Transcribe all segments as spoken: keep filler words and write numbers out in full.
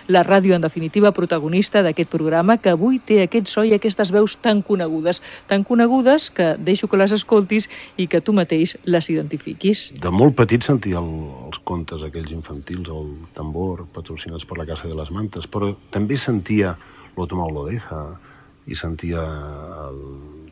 La ràdio, en definitiva, protagonista d'aquest programa, que avui té aquest so i aquestes veus tan conegudes, tan conegudes que deixo que les escoltis i que tu mateix les identifiquis. De molt petit sentia el, els contes aquells infantils, el tambor, patrocinats per la Casa de les Mantes, però també sentia Lo Tomao lo deja i sentia el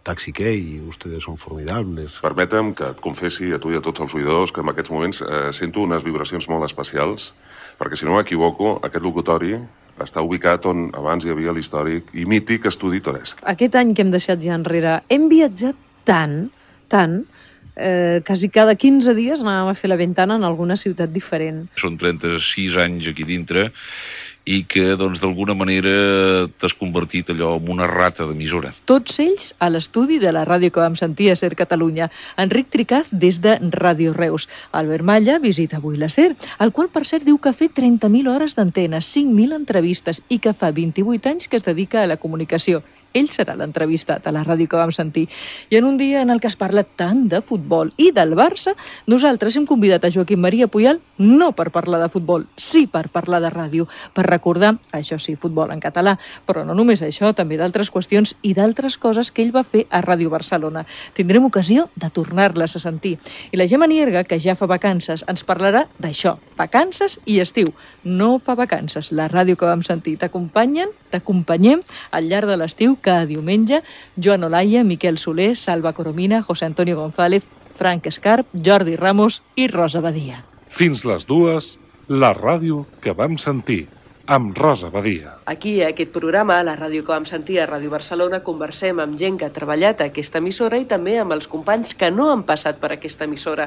Taxi Key, Ustedes son formidables. Permetem que et confessi a tu i a tots els oïdors que en aquests moments eh, sento unes vibracions molt especials, perquè si no m'equivoco, aquest locutori està ubicat on abans hi havia l'històric i mític estudi Toresc. Aquest any que hem deixat ja enrere, hem viatjat tant, tant, eh, quasi cada quinze dies anàvem a fer la ventana en alguna ciutat diferent. Són trenta-sis anys aquí dintre i que, doncs, d'alguna manera t'has convertit allò en una rata d'emissora. Tots ells a l'estudi de la ràdio que vam sentir a SER Catalunya. Enric Tricaz des de Ràdio Reus. Albert Malla visita avui la SER, el qual, per cert, diu que ha fet trenta mil hores d'antena, cinc mil entrevistes i que fa vint-i-vuit anys que es dedica a la comunicació. Ell serà l'entrevistat a la ràdio que vam sentir. I en un dia en el que es parla tant de futbol i del Barça, nosaltres hem convidat a Joaquim Maria Puyal no per parlar de futbol, sí per parlar de ràdio, per recordar, això sí, futbol en català, però no només això, també d'altres qüestions i d'altres coses que ell va fer a Ràdio Barcelona. Tindrem ocasió de tornar-les a sentir. I la Gemma Nierga, que ja fa vacances, ens parlarà d'això, vacances i estiu. No fa vacances, la ràdio que vam sentir. T'acompanyen, t'acompanyem al llarg de l'estiu cada diumenge, Joan Olaia, Miquel Soler, Salva Coromina, José Antonio González, Frank Escarp, Jordi Ramos i Rosa Badia. Fins les dues, la ràdio que vam sentir, amb Rosa Badia. Aquí, a aquest programa, a la ràdio que vam sentir a Ràdio Barcelona, conversem amb gent que ha treballat a aquesta emissora i també amb els companys que no han passat per aquesta emissora.